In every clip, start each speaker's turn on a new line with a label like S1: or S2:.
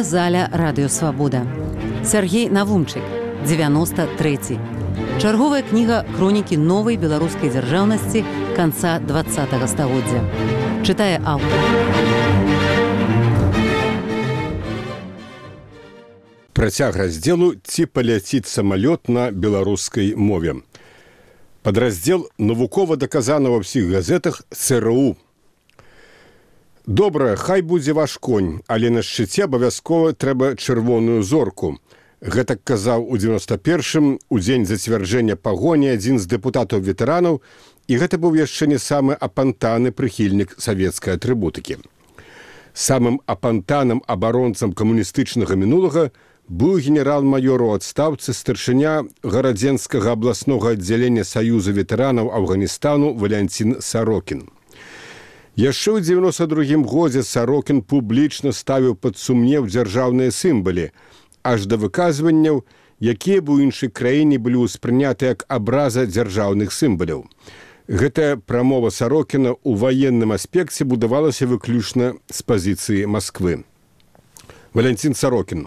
S1: аўдыёзаля радыёсвабода. Сергей Навумчык, 93. Чарговая кніга хронікі новай беларускай дзяржаўнасці канца 20-го стагоддзя. Чытае аўтар.
S2: Працяг раздзелу «Ці паляціць самалёт на беларускай мове». Падраздзел навукова даказана ва ўсіх газетах ЦРУ. Добра, хай будзе ваш конь, але на шчыце абавязкова трэба чырвоную зорку. Гэтак казаў у 91-м, у дзень зацвярджэння пагоні, адзін з дэпутатаў-ветэранаў, і гэта быў яшчэ не самы апантаны прыхільнік савецкай атрыбутыкі. Самым апантаным абаронцам камуністычнага мінулага быў генерал-майор у адстаўцы старшыня гарадзенскага абласнога аддзялення Саюза ветэранаў Афганістану Валянцін Сарокін. Яшчэ ў 92-м годзе Сарокін публічна ставіў пад сумнеў дзяржаўныя сімвалы, аж да выказванняў, якія б у іншай краіне былі ўспрыняты як абраза дзяржаўных сімваляў. Гэтая прамова Сарокіна ў ваенным аспекце будавалася выключна з пазіцыі Масквы. Валянцін Сарокін.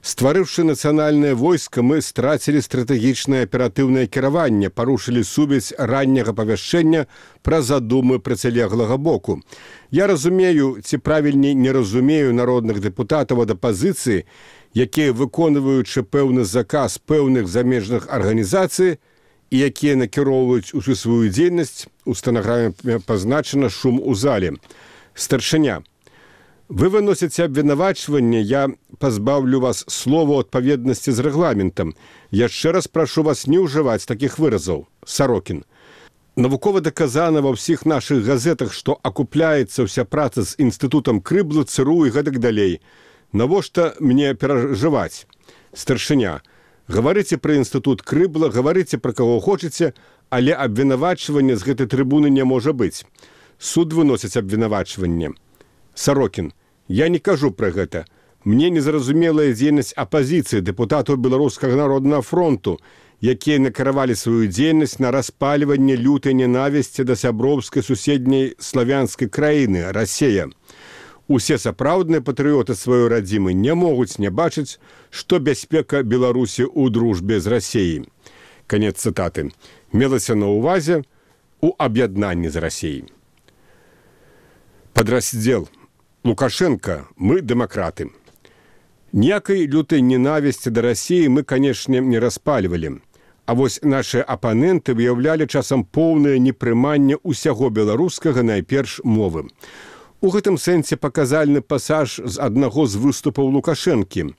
S2: Стварыўшы нацыянальнае войска, мы страцілі стратэгічнае аператыўнае кіраванне, парушылі сувязь ранняга павяшчэння пра задумы працілеглага боку. Я разумею, ці правільней не разумею народных дэпутатаў ад апазіцыі, якія, выконваючы пэўны заказ пэўных замежных арганізацый і якія накіроўваюць усю сваю дзейнасць, у стэнаграме пазначана шум у зале. Старшыня. Вы выносіце абвінавачванне, я пазбаўлю вас слова ў адпаведнасці з рэгламентам. Яшчэ раз прашу вас не ўжываць такіх выразаў. Сарокін. Навукова даказана ва ўсіх нашых газетах, што акупляецца ўся праца з інстытутам Крыбла, ЦРУ і гэтак далей. Навошта мне перажываць? Старшыня. Гаварыце пра інстытут Крыбла, гаварыце пра каго хочаце, але абвінавачванне з гэтай трыбуны не можа быць. Суд выносіць абвінавачванне. Сарокін. Я не кажу пра гэта. Мне незразумелая дзейнасць апазіцыі дэпутатаў Беларускага народнага фронту, якія накіравалі сваю дзейнасць на распальванне лютай ненавісці да сяброўскай суседняй славянскай краіны, Расея. Усе сапраўдныя патрыёты сваёй радзімы не могуць не бачыць, што бяспека Беларусі ў дружбе з Расеяй. Канец цытаты. Мелася на ўвазе у аб'яднанні з Расеяй. Падраздзел. Лукашенко, мы дэмакраты. Ніякай лютай ненавісці да Расіі мы, канешне, не распальвалі. А вось нашыя апаненты выяўлялі часам поўнае непрыманне ўсяго беларускага, найперш мовы. У гэтым сэнсе паказальны пасаж з аднаго з выступаў Лукашэнкі.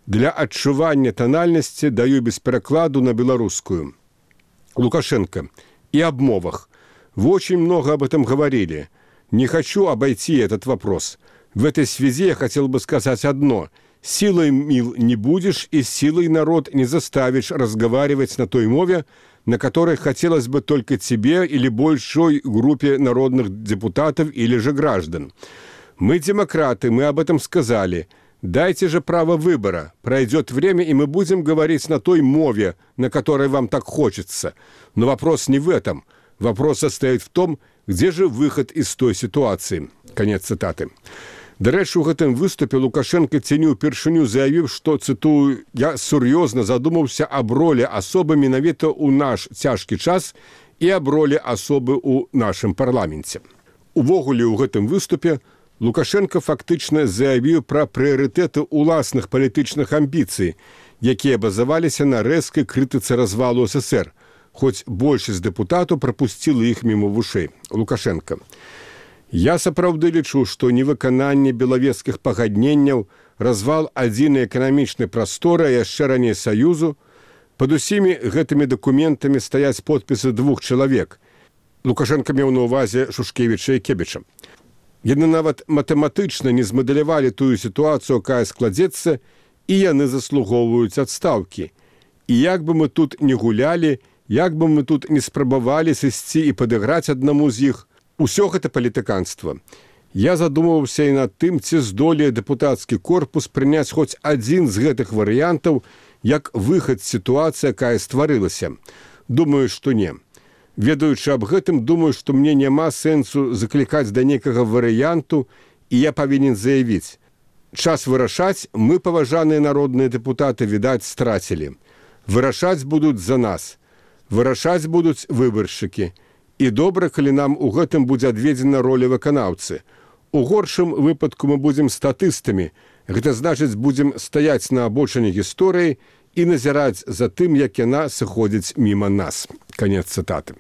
S2: Для адчування танальнасці даю без перакладу на беларускую. Лукашенко. И об мовах. Вы очень много об этом говорили. Не хочу обойти этот вопрос. В этой связи я хотел бы сказать одно. Силой мил не будешь, и силой народ не заставишь разговаривать на той мове, на которой хотелось бы только тебе или большой группе народных депутатов или же граждан. Мы демократы, мы об этом сказали. Дайте же право выбора. Пройдет время, и мы будем говорить на той мове, на которой вам так хочется. Но вопрос не в этом. Вопрос состоит в том, где же выход из той ситуации. Конец цитаты. Дарэчы, у гэтым выступе Лукашенко ці не ўпершыню заявіў, што, цытую, «Я сур'ёзна задумаўся аб ролі асобы менавіта ў наш цяжкі час і аб ролі асобы ў нашым парламенце». Увогуле, у гэтым выступе Лукашенко фактычна заявіў пра прыярытэты ўласных палітычных амбіцый, якія базаваліся на рэзкай крытыцы развалу СССР, хоць большасць дэпутатаў прапусціла іх міма вушэй. Лукашенко. Я сапраўды лічу, што невыкананне белавежскіх пагадненняў, развал адзінай эканамічнай прасторы, а яшчэ раней Саюзу, пад усімі гэтымі дакументамі стаяць подпісы двух чалавек. Лукашенко меў на ўвазе Шушкевіча і Кебіча. Яны нават матэматычна не змадэлявалі тую сітуацыю, якая складзецца, і яны заслугоўваюць адстаўкі. І як бы мы тут не гулялі, як бы мы тут не спрабавалі сысці і падыграць аднаму з іх, усё гэта палітыканства. Я задумаўся і над тым, ці здолее дэпутацкі корпус прыняць хоць адзін з гэтых варыянтаў як выхад з сітуацыі, якая стварылася. Думаю, што не. Ведаючы аб гэтым, думаю, што мне няма сэнсу заклікаць да нейкага варыянту, і я павінен заявіць. Час вырашаць мы, паважаныя народныя дэпутаты, відаць, страцілі. Вырашаць будуць за нас. Вырашаць будуць выбаршчыкі. І добра, калі нам у гэтым будзе адведзена роля выканаўцы. У горшым выпадку мы будзем статыстамі. Гэта значыць, будзем стаяць на абочыне гісторыі і назіраць за тым, як яна сыходзіць міма нас. Канец цытаты.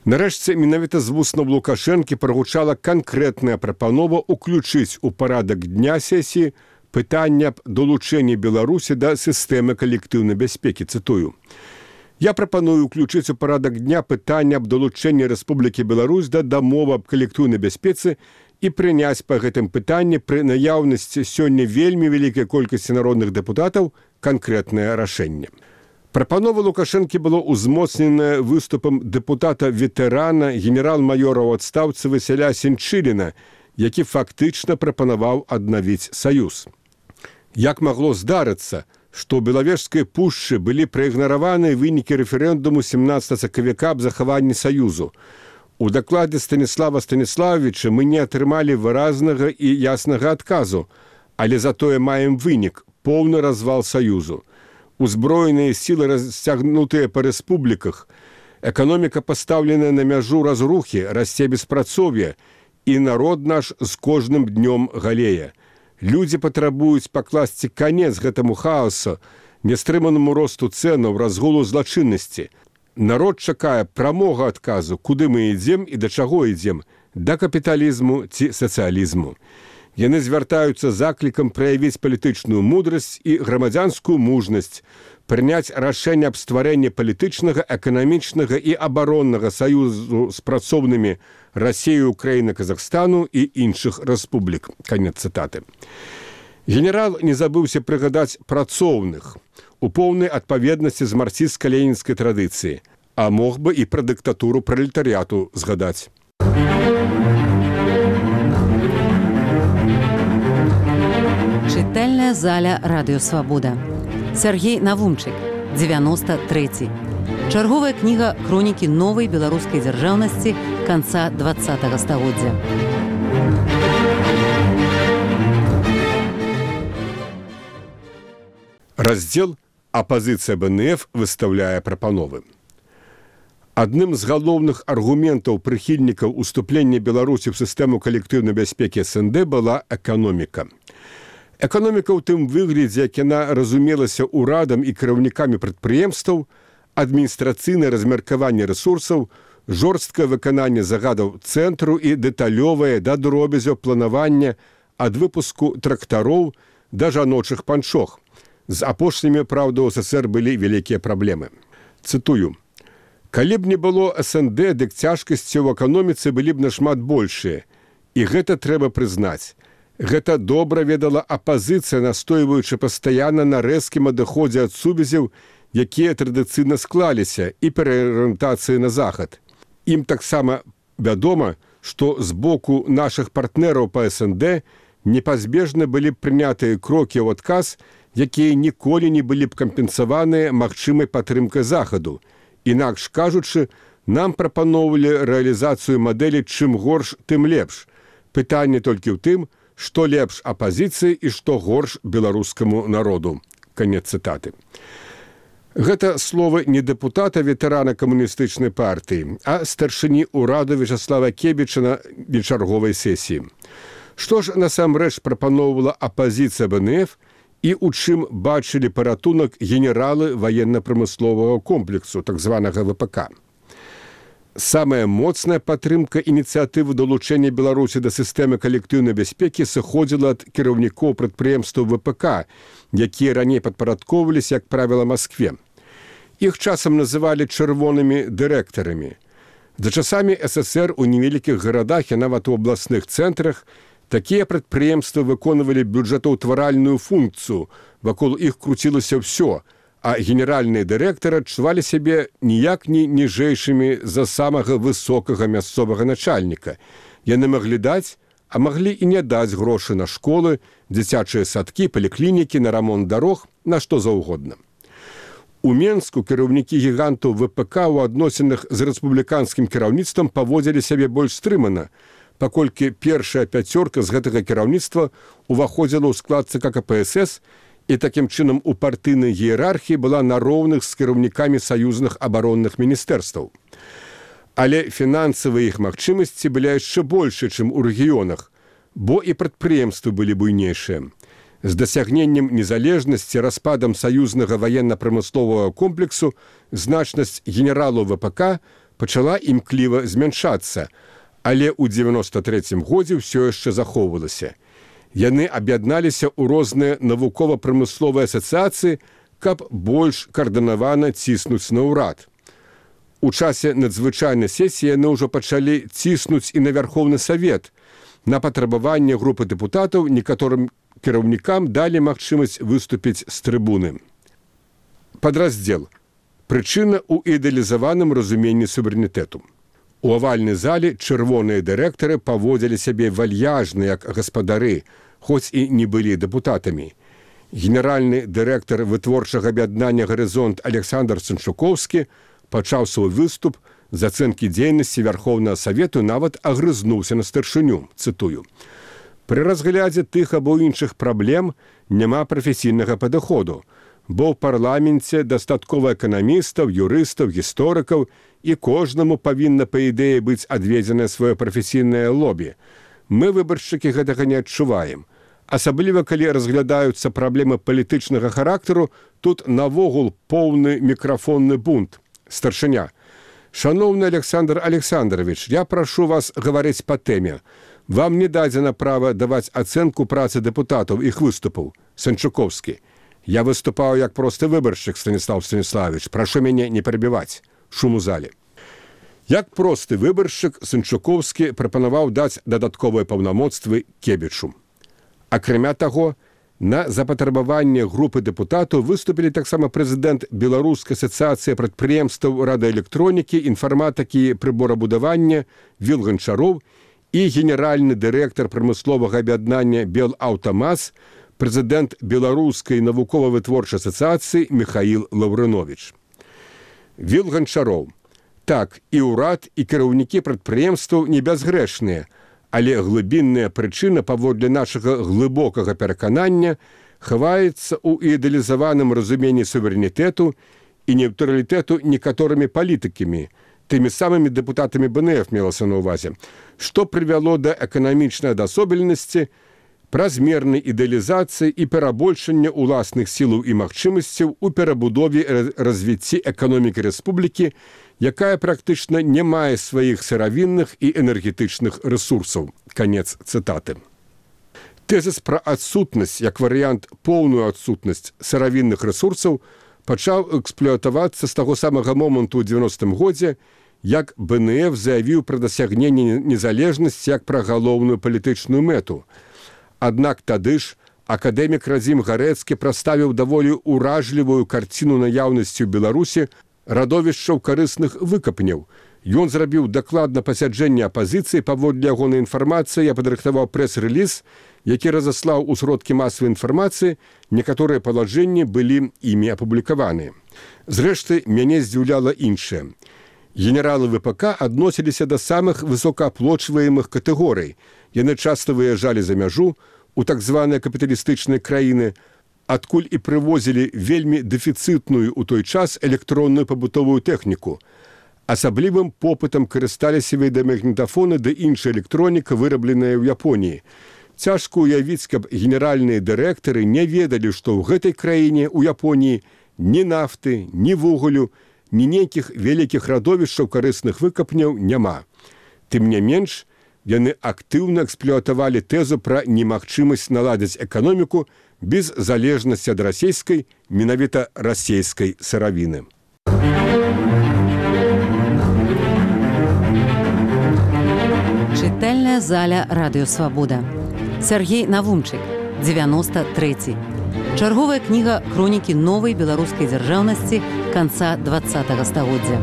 S2: Нарэшце, менавіта з вуснаў Лукашэнкі прагучала канкрэтная прапанова ўключыць у парадак дня сесіі пытання аб долучэнні Беларусі да сістэмы калектыўнай бяспекі. Цытую. Я прапаную ўключыць у парадак дня пытання аб долучэнні Рэспублікі Беларусь да дамовы аб калектыўнай бяспецы і прыняць па гэтым пытанні пры наяўнасці сёння вельмі вялікай колькасці народных дэпутатаў канкрэтнае рашэнне. Прапанова Лукашэнкі было ўзмоцнена выступам дэпутата-ветэрана генерал-маёра ў адстаўцы Васіля Сенчыліна, які фактычна прапанаваў аднавіць саюз. Як магло здарыцца, што ў Белавежскай пушчы былі праігнараваны вынікі рэферэндуму 17 сакавіка аб захаванні саюзу. У дакладзе Станіслава Станіславовича мы не атрымалі выразнага і яснага адказу, але затое маем вынік – поўны развал саюзу. Узброеныя сілы расцягнутыя па рэспубліках, эканоміка пастаўленая на мяжу разрухі, расце беспрацоўе, і народ наш з кожным днём галее. Людзі патрабуюць пакласці канец гэтаму хаосу, нястрыманаму росту цэнаў, разгулу злачыннасці. Народ чакае прамога адказу, куды мы ідзем і да чаго ідзем, да капіталізму ці сацыялізму. Яны звяртаюцца заклікам праявіць палітычную мудрасць і грамадзянскую мужнасць, прыняць рашэнне аб стварэнні палітычнага, эканамічнага і абароннага саюзу з працоўнымі Расіі, Украіны, Казахстану і іншых рэспублік. Канец цытаты. Генерал не забыўся прыгадаць працоўных у поўнай адпаведнасці з марксістска-ленінскай традыцыі, а мог бы і пра дыктатуру пралетарыяту згадаць.
S1: Чытальная заля Радыё Свабода. Сергей Навумчык, 93. Чарговая кніга хронікі новай беларускай дзяржаўнасці канца 20-го стагоддзя.
S2: Раздзел «Апазіцыя БНФ выстаўляе прапановы». Адным з галоўных аргументаў прыхільнікаў уступлення Беларусі ў сістэму калектыўнай бяспекі СНД была эканоміка. Эканоміка ў тым выглядзе, як яна разумелася ўрадам і кіраўнікамі прадпрыемстваў, адміністрацыйнае размеркаванне рэсурсаў, жорсткае выкананне загадаў цэнтру і дэталёвае да дробязяў планавання ад выпуску трактароў да жаночых панчох. З апошнімі, праўда, у СССР былі вялікія праблемы. Цытую. «Калі б не было СНД, дык цяжкасці ў эканоміцы былі б нашмат большыя. І гэта трэба прызнаць. Гэта добра ведала апазіцыя, настойваючы пастаянна на рэзкім адыходзе ад сувязяў, якія традыцыйна склаліся, і пераарыентацыі на захад. Ім таксама вядома, што з боку нашых партнераў па СНД непазбежна былі б прынятыя крокі ў адказ, якія ніколі не былі б кампенсаваныя магчымай падтрымкай захаду. Інакш кажучы, нам прапаноўвалі рэалізацыю мадэлі «чым горш, тым лепш». Пытанне толькі ў тым, што лепш апазіцыі і што горш беларускаму народу. Канец цытаты. Гэта словы не дэпутата, ветэрана камуністычнай партыі, а старшыні ўраду Вячаслава Кебіча на вечарговай сесіі. Што ж насамрэч прапаноўвала апазіцыя БНФ і ў чым бачылі паратунак генералы ваенна-прамысловага комплексу, так званага ВПК. Самая моцная падтрымка ініцыятывы далучэння Беларусі да сістэмы калектыўнай бяспекі сыходзіла ад кіраўнікоў прадпрыемстваў ВПК, якія раней падпарадкоўваліся, як правіла, Маскве. Іх часам называлі чырвонымі дырэктарамі. За часамі СССР у невялікіх гарадах і нават у абласных цэнтрах такія прадпрыемствы выконвалі бюджэтаўтваральную функцыю, вакол іх круцілася ўсё, а генеральныя дырэктары адчувалі сябе ніяк не ніжэйшымі за самага высокага мясцовага начальніка. Яны маглі даць, а маглі і не даць грошы на школы, дзіцячыя садкі, паліклінікі, на рамонт дарог, на што заўгодна. У Менску кіраўнікі гігантаў ВПК ў адносінах з рэспубліканскім кіраўніцтвам паводзілі сябе больш стрымана. паколькі першая пяцёрка з гэтага кіраўніцтва уваходзіла ў склад ЦК КПСС і такім чынам у партыйнай іерархіі была на роўных з кіраўнікамі саюзных абаронных міністэрстваў. Але фінансавыя іх магчымасці былі яшчэ большы, чым у рэгіёнах, бо і прадпрыемствы былі буйнейшыя. З дасягненнем незалежнасці, распадам саюзнага ваенна-прамысловага комплексу значнасць генералаў ВПК пачала імкліва змяншацца, але ў 93-м годзе ўсё яшчэ захоўвалася. Яны аб'ядналіся ў розныя навукова-прамысловыя асацыяцыі, каб больш каардынавана ціснуць на ўрад. У часе надзвычайнай сесіі яны ўжо пачалі ціснуць і на Вярхоўны Савет. На патрабаванне групы дэпутатаў некаторым кіраўнікам далі магчымасць выступіць з трыбуны. Падраздзел. Прычына ў ідэалізаваным разуменні суверэнітэту. У авальнай зале чырвоныя дырэктары паводзілі сябе вальяжна, як гаспадары, хоць і не былі дэпутатамі. Генеральны дырэктар вытворчага аб'яднання «Гарызонт» Александр Санчукоўскі пачаў свой выступ з ацэнкі дзейнасці Вярхоўнага Савету, нават агрызнуўся на старшыню, цытую. «Пры разглядзе тых або іншых праблем няма прафесійнага падыходу, бо ў парламенце дастаткова эканамістаў, юрыстаў, гісторыкаў, і кожнаму павінна, па ідэі, быць адведзенае сваё прафесійнае лобі. Мы, выбаршчыкі, гэтага не адчуваем. Асабліва, калі разглядаюцца праблемы палітычнага характару, тут навогул поўны мікрафонны бунт. Старшыня. Шановны Александр Александрович, я прашу вас гаварыць па тэме. Вам не дадзена права даваць ацэнку працы дэпутатаў, іх выступаў. Санчукоўскі. Я выступаў як просты выбаршчык, Станіслав Станіславович. Прашу мяне не перабіваць. Шум у зале. Як просты выбаршчык, Санчукоўскі прапанаваў даць дадатковыя паўнамоцтвы Кебічу. Акрамя таго, на запатрабаванне групы дэпутатаў выступілі таксама прэзідэнт Беларускай асацыяцыі прадпрыемстваў радыёэлектронікі, інфарматыкі, прыборабудавання Віл Ганчароў і генеральны дырэктар прамысловага аб'яднання «Белаўтамаз», прэзідэнт Беларускай навукова-вытворчай асацыяцыі Михаіл Лаўрыновіч. Віл Ганчароў. Так, і ўрад, і кіраўнікі прадпрыемстваў не бязгрэшныя, але глыбінная прычына, паводле нашага глыбокага пераканання, хаваецца ў ідэалізаваным разуменні суверэнітэту і нейтралітэту некаторымі палітыкамі, тымі самымі дэпутатамі БНФ мелася на ўвазе, што прывяло да эканамічнай адасобленасці, празмернай ідэалізацыі і перабольшання ўласных сілаў і магчымасцяў у перабудове развіцці эканомікі рэспублікі, якая практычна не мае сваіх сыравінных і энергетычных рэсурсаў. Канец цытаты. Тэзіс пра адсутнасць, як варыянт поўную адсутнасць сыравінных рэсурсаў, пачаў эксплуатавацца з таго самага моманту ў 90-м годзе, як БНФ заявіў пра дасягненне незалежнасці як пра галоўную палітычную мэту. Аднак тады ж акадэмік Радзім Гарэцкі прадставіў даволі ўражлівую карціну наяўнасці ў Беларусі радовішчаў карысных выкапняў. Ён зрабіў дакладна пасяджэнне апазіцыі, паводле ягонай інфармацыі я падрыхтаваў прэс-рэліз, які разаслаў у сродкі масавай інфармацыі, некаторыя палажэнні былі імі апублікаваныя. Зрэшты, мяне здзіўляла іншае. Генералы ВПК адносіліся да самых высокааплочваемых катэгорый. Яны часта выязджалі за мяжу у так званыя капіталістычныя краіны, адкуль і прывозілі вельмі дэфіцытную ў той час электронную пабытовую тэхніку. Асаблівым попытам карысталіся відэамагнітафоны ды іншая электроніка, вырабленая ў Японіі. Цяжка ўявіць, каб генеральныя дырэктары не ведалі, што ў гэтай краіне, у Японіі, ні нафты, ні вугалю, ні нейкіх вялікіх радовішчаў карысных выкапняў няма. Тым не менш, яны актыўна эксплуатавалі тэзу пра немагчымасць наладзіць эканоміку без залежнасці ад расійскай, менавіта расійскай сыравіны.
S1: Чытальная заля Радыё Свабода. Сергей Навумчык, 93. Чарговая кніга хронікі новай беларускай дзяржаўнасці канца 20-го стагоддзя.